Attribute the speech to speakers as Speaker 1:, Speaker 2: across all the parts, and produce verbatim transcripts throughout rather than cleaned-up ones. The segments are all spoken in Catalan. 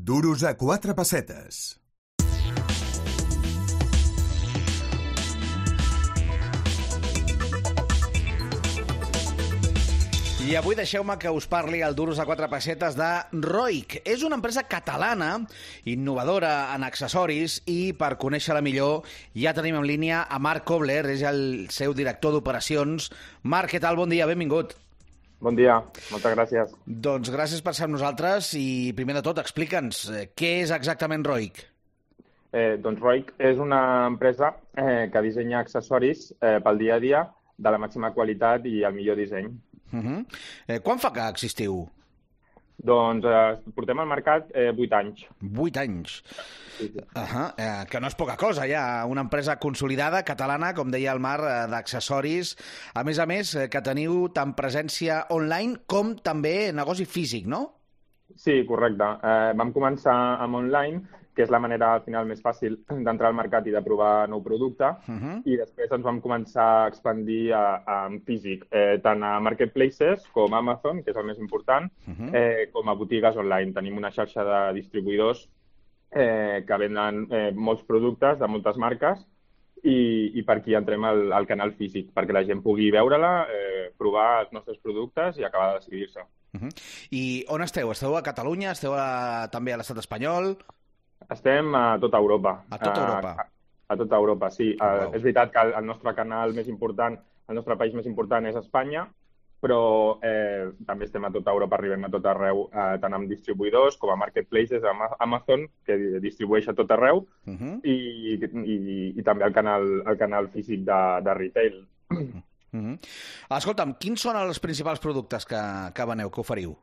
Speaker 1: Duros a quatre pessetes.
Speaker 2: I avui deixeu-me que us parli al Duros a quatre pessetes de Roig. És una empresa catalana, innovadora en accessoris, i per conèixer-la millor ja tenim en línia a Marc Kobler, és el seu director d'operacions. Marc, què tal? Bon dia, benvingut.
Speaker 3: Bon dia, moltes gràcies.
Speaker 2: Doncs gràcies per ser amb nosaltres i, primer de tot, explica'ns què és exactament Roig.
Speaker 3: Eh, doncs Roig és una empresa eh, que dissenya accessoris eh, pel dia a dia de la màxima qualitat i el millor disseny.
Speaker 2: Uh -huh. eh, quan fa que existiu?
Speaker 3: Doncs eh, portem al mercat eh, vuit anys.
Speaker 2: Vuit anys.
Speaker 3: Sí, sí.
Speaker 2: Uh -huh. eh, que no és poca cosa, ja. Una empresa consolidada, catalana, com deia el Marc, eh, d'accessoris. A més a més, eh, que teniu tant presència online com també negoci físic, no?
Speaker 3: Sí, correcte. Eh, vam començar amb online, que és la manera al final més fàcil d'entrar al mercat i de provar nou producte, uh-huh. i després ens vam començar a expandir a, a, en físic, eh, tant a marketplaces com a Amazon, que és el més important, uh-huh. eh, com a botigues online. Tenim una xarxa de distribuïdors eh, que venen eh, molts productes de moltes marques i, i per aquí entrem al, al canal físic, perquè la gent pugui veure-la, eh, provar els nostres productes i acabar de decidir-se.
Speaker 2: Uh-huh. I on esteu? Esteu a Catalunya? Esteu a, també a l'estat espanyol?
Speaker 3: Estem a tota Europa.
Speaker 2: A tota Europa?
Speaker 3: A, a, a tota Europa, sí.
Speaker 2: Wow.
Speaker 3: Uh, és veritat que el, el nostre canal més important, el nostre país més important és Espanya, però eh, també estem a tota Europa, arribem a tot arreu, eh, tant amb distribuïdors com a marketplaces, amb Amazon, que distribueix a tot arreu, uh-huh. i, i, i també el canal, el canal físic de, de retail.
Speaker 2: Uh-huh. Escolta'm, quins són els principals productes que, que veneu, que oferiu?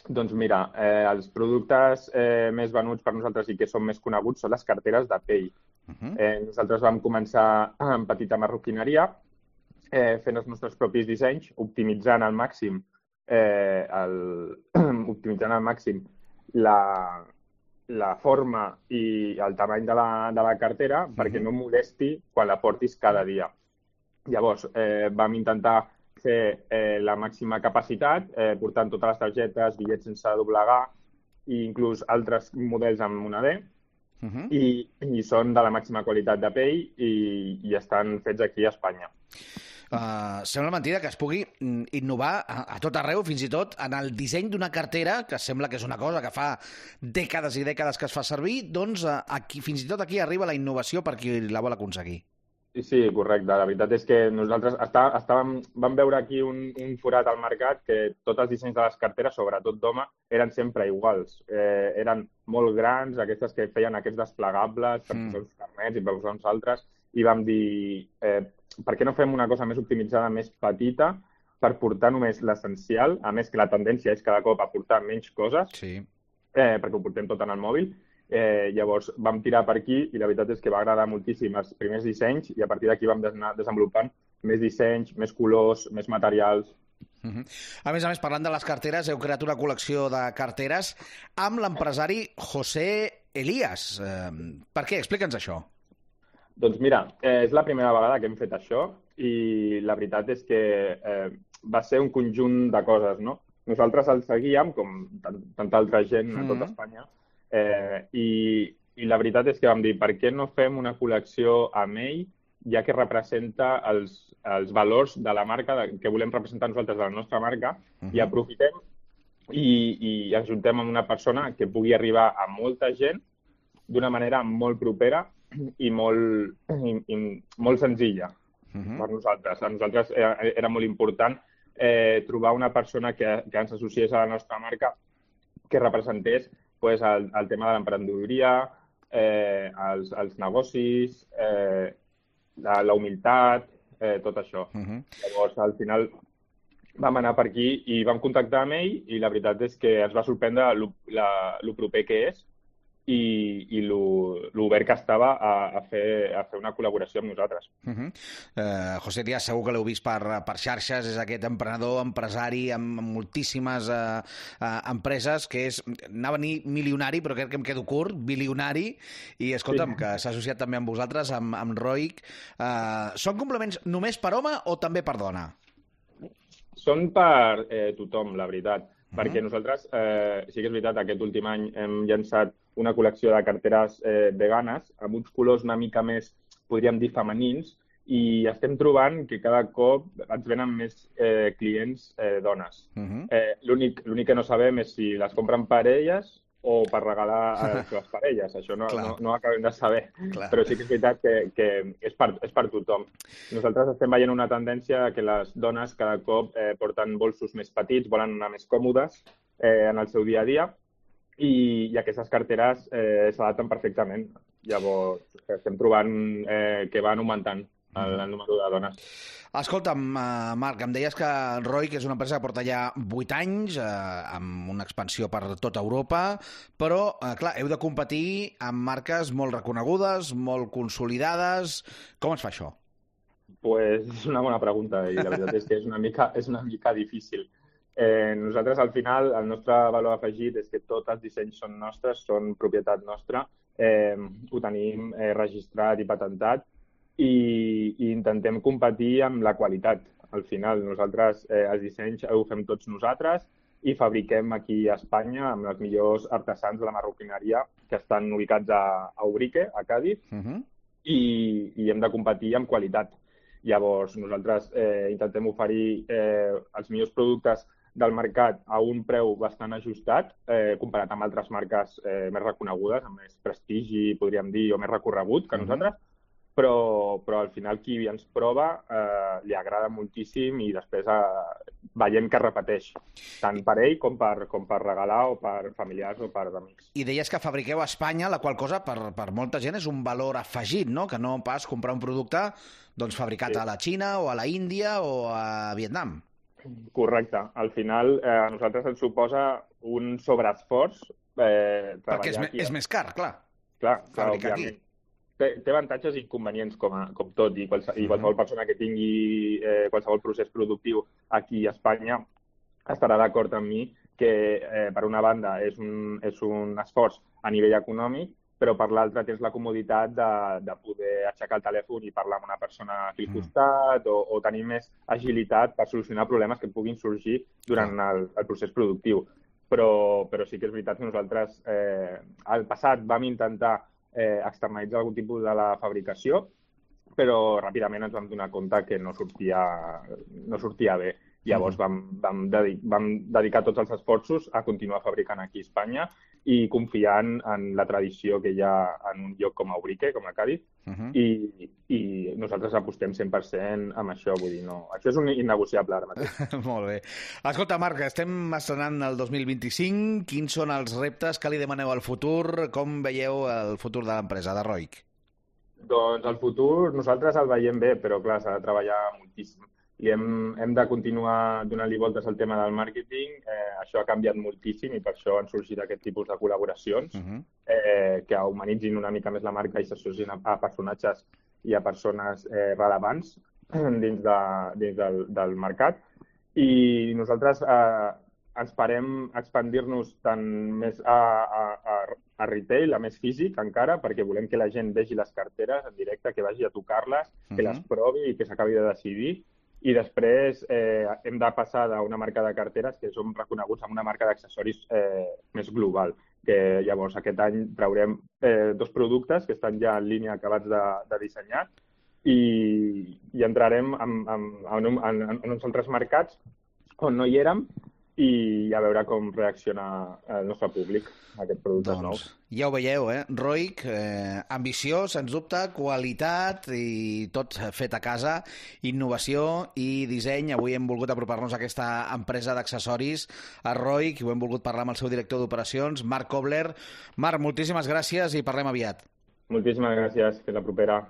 Speaker 3: Doncs mira, eh, els productes eh, més venuts per nosaltres i que són més coneguts són les carteres de pell. Uh-huh. eh, nosaltres vam començar amb petita marroquineria, eh, fent els nostres propis dissenys, optimitzant al màxim, eh, el, optimitzant al màxim la, la forma i el tamany de la, de la cartera, uh-huh. perquè no molesti quan la portis cada dia. Llavors, eh, vam intentar fer eh, la màxima capacitat, eh, portant totes les targetes, bitllets sense doblegar i inclús altres models amb moneder, uh-huh. i, i són de la màxima qualitat de pell i, i estan fets aquí a Espanya.
Speaker 2: Uh, sembla mentida que es pugui innovar a, a tot arreu, fins i tot en el disseny d'una cartera, que sembla que és una cosa que fa dècades i dècades que es fa servir, doncs uh, aquí, fins i tot aquí arriba la innovació per qui la vol aconseguir.
Speaker 3: Sí, correcte. La veritat és que nosaltres està, estàvem, vam veure aquí un, un forat al mercat que tots els dissenys de les carteres, sobretot d'home, eren sempre iguals. Eh, eren molt grans, aquestes que feien aquests desplegables per mm. posar uns carnets i per posar uns altres, i vam dir, eh, per què no fem una cosa més optimitzada, més petita, per portar només l'essencial, a més que la tendència és cada cop a portar menys coses,
Speaker 2: sí.
Speaker 3: eh, perquè ho portem tot en el mòbil. Eh, llavors vam tirar per aquí i la veritat és que va agradar moltíssim els primers dissenys i a partir d'aquí vam anar desenvolupant més dissenys, més colors, més materials.
Speaker 2: Uh-huh. A més a més, parlant de les carteres, heu creat una col·lecció de carteres amb l'empresari José Elías. Eh, per què? Explica'ns això.
Speaker 3: Doncs mira, eh, és la primera vegada que hem fet això i la veritat és que eh, va ser un conjunt de coses, no? Nosaltres el seguíem, com tant, tanta altra gent a tota Espanya, Eh, i, i la veritat és que vam dir, per què no fem una col·lecció amb ell, ja que representa els, els valors de la marca de, que volem representar nosaltres de la nostra marca, uh-huh. i aprofitem i, i ens juntem amb una persona que pugui arribar a molta gent d'una manera molt propera i molt, i, i molt senzilla uh-huh. per nosaltres. A nosaltres era, era molt important eh, trobar una persona que, que ens associés a la nostra marca que representés pues, el, el tema de l'emprenedoria, eh, els, els negocis, eh, la, la humilitat, eh, tot això. Uh-huh. Llavors, al final, vam anar per aquí i vam contactar amb ell i la veritat és que ens va sorprendre el proper que és i, i l'obert que estava a, a, fer, a fer una col·laboració amb nosaltres.
Speaker 2: Uh-huh. uh, José Díaz, segur que l'heu vist per, per xarxes, és aquest emprenedor, empresari amb moltíssimes uh, uh, empreses, que és, anava a dir milionari, però crec que em quedo curt, bilionari, i escolta'm, sí. que s'ha associat també amb vosaltres, amb, amb Roig. Uh, són complements només per home o també per dona?
Speaker 3: Són per eh, tothom, la veritat. Uh-huh. Perquè nosaltres, eh, sí que és veritat, aquest últim any hem llançat una col·lecció de carteres eh, veganes amb uns colors una mica més, podríem dir, femenins, i estem trobant que cada cop ens venen més eh, clients eh, dones. Uh-huh. eh, L'únic l'únic que no sabem és si les compren per elles o per regalar a les parelles. Això no, no, no ho acabem de saber. Clar. Però sí que és veritat que, que és, per, és per tothom. Nosaltres estem veient una tendència que les dones cada cop eh, porten bolsos més petits, volen anar més còmodes eh, en el seu dia a dia, i, i aquestes carteres eh, s'adapten perfectament. Llavors, estem trobant eh, que van augmentant el, el número de dones.
Speaker 2: Escolta'm, Marc, em deies que Roig és una empresa que porta ja vuit anys, eh, amb una expansió per tota Europa, però, eh, clar, heu de competir amb marques molt reconegudes, molt consolidades. Com es fa això?
Speaker 3: Pues és una bona pregunta i la veritat és que és una mica, és una mica difícil. Eh, nosaltres, al final, el nostre valor afegit és que tots els dissenys són nostres, són propietat nostra, eh, ho tenim eh, registrat i patentat, i, i intentem competir amb la qualitat. Al final, nosaltres eh, els dissenys ho fem tots nosaltres i fabriquem aquí a Espanya amb els millors artesans de la marroquineria que estan ubicats a, a Ubrique, a Càdiz, uh-huh. i, i hem de competir amb qualitat. Llavors, nosaltres eh, intentem oferir eh, els millors productes del mercat a un preu bastant ajustat, eh, comparat amb altres marques eh, més reconegudes, amb més prestigi, podríem dir, o més recorregut que nosaltres, uh-huh. Però, però al final qui ens prova eh, li agrada moltíssim i després eh, veiem que repeteix, tant per ell com per, com per regalar o per familiars o per amics.
Speaker 2: I deies que fabriqueu a Espanya, la qual cosa per, per molta gent és un valor afegit, no? Que no pas comprar un producte doncs, fabricat sí. a la Xina o a la Índia o a Vietnam.
Speaker 3: Correcte. Al final eh, a nosaltres ens suposa un sobreesforç eh,
Speaker 2: perquè és,
Speaker 3: aquí.
Speaker 2: és més car, clar.
Speaker 3: Clar, clar
Speaker 2: fabricar
Speaker 3: òbviament.
Speaker 2: Aquí.
Speaker 3: Té, té avantatges i inconvenients, com, a, com tot, i, qualse, i qualsevol persona que tingui eh, qualsevol procés productiu aquí a Espanya estarà d'acord amb mi que, eh, per una banda, és un, és un esforç a nivell econòmic, però per l'altra tens la comoditat de, de poder aixecar el telèfon i parlar amb una persona aquí al costat o, o tenir més agilitat per solucionar problemes que puguin sorgir durant el, el procés productiu. Però, però sí que és veritat que nosaltres eh, al passat vam intentar Eh, externalitzar algun tipus de la fabricació, però ràpidament ens vam donar compte que no sortia, no sortia bé. Llavors vam, vam, dedic, vam dedicar tots els esforços a continuar fabricant aquí a Espanya i confiant en la tradició que hi ha en un lloc com a Ubrique, com a Càdiz, uh-huh. i, i nosaltres apostem cent per cent amb això. Vull dir, no, això és un innegociable ara mateix.
Speaker 2: Molt bé. Escolta, Marc, estem estrenant el dos mil vint-i-cinc. Quins són els reptes que li demaneu al futur? Com veieu el futur de l'empresa, de Roig?
Speaker 3: Doncs el futur nosaltres el veiem bé, però clar, s'ha de treballar moltíssim. I hem, hem de continuar donant-li voltes al tema del màrqueting. Eh, això ha canviat moltíssim i per això han sorgit aquest tipus de col·laboracions uh-huh. eh, que humanitzin una mica més la marca i s'associen a, a personatges i a persones eh, rellevants dins, de, dins del, del mercat. I nosaltres eh, esperem expandir-nos tant més a, a, a, a retail, a més físic encara, perquè volem que la gent vegi les carteres en directe, que vagi a tocar-les, uh-huh. que les provi i que s'acabi de decidir. I després eh, hem de passar d'una marca de carteres que som reconeguts amb una marca d'accessoris eh, més global. Que llavors aquest any traurem eh, dos productes que estan ja en línia acabats de, de dissenyar i, i entrarem en, en, en, en, en uns altres mercats on no hi érem i a veure com reacciona el nostre públic a aquests productes
Speaker 2: doncs,
Speaker 3: nous.
Speaker 2: Ja ho veieu, eh? Roig, eh, ambició, sens dubte, qualitat i tot fet a casa, innovació i disseny. Avui hem volgut apropar-nos a aquesta empresa d'accessoris, a Roig, i ho hem volgut parlar amb el seu director d'operacions, Marc Kobler. Marc, moltíssimes gràcies i parlem aviat.
Speaker 3: Moltíssimes gràcies. Fins la propera.